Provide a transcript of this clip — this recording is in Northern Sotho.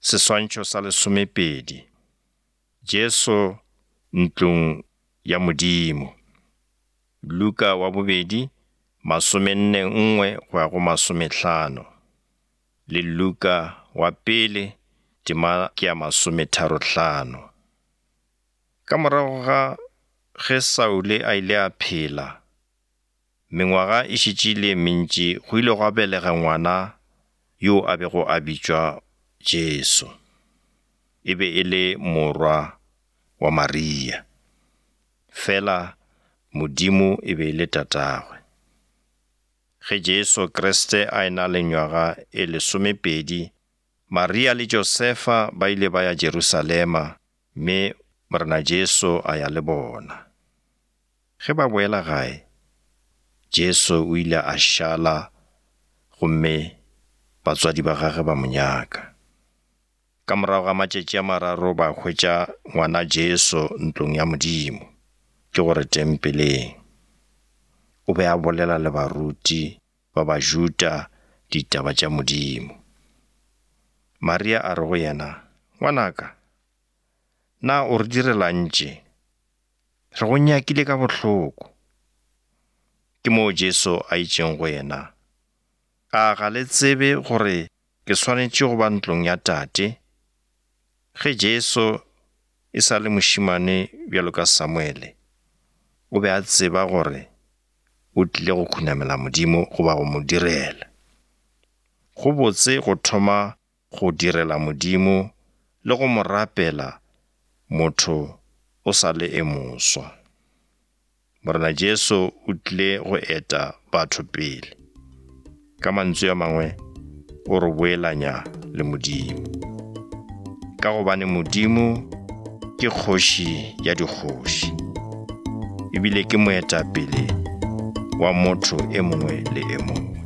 Seswantšho sa lesomepedi. Jesu ntlong ya Modimo. Luka wa bobedi, masomenne nngwe go ya go masomehlano. Le Luka wa pele, tema ke ya masometharohlano. Ka morago ga ge Saule a ile a phela, Mengwaga e šetše e le e mentši go ile gwa belega ngwana yo a bego a bitšwa Jesu. E be e le morwa wa Maria. Fela Modimo e be e le tatagwe. Ge Jesu Kriste a e-na le nywaga e lesomepedi, Maria le Josefa ba ile ba ya Jerusalema mme Morena Jesu a ya le bona. Ge ba boela gae, Jesu o ile a šala gomme batswadi ba gagwe ba mo nyaka. Ka morago ga matšatši a mararo ba hwetša ngwana Jesu ntlong ya Modimo, ke gore tempeleng. O be a bolela le baruti ba Bajuda ditaba tša Modimo. Maria a re go yena, Ngwanaka, na o re direla'ng tše? Re go nyakile ka bohloko. Ke moo Jesu a itšeng go yena, A ga le tsebe gore ke swanetše go ba ntlong ya Tate? Ge Jesu e sa le mošemane bjalo ka Samuele, o be a tseba gore o tlile go khunamela Modimo goba go mo direla. Go botse go thoma go direla Modimo le go mo rapela motho o sa le e moswa. Morena Jesu o tlile go eta batho pele. Ka mantswe a mangwe, o re boelanya le Modimo. Ka gobane Modimo ke kgoši ya dikgoši, ebile ke moetapele wa motho e mongwe le e mongwe.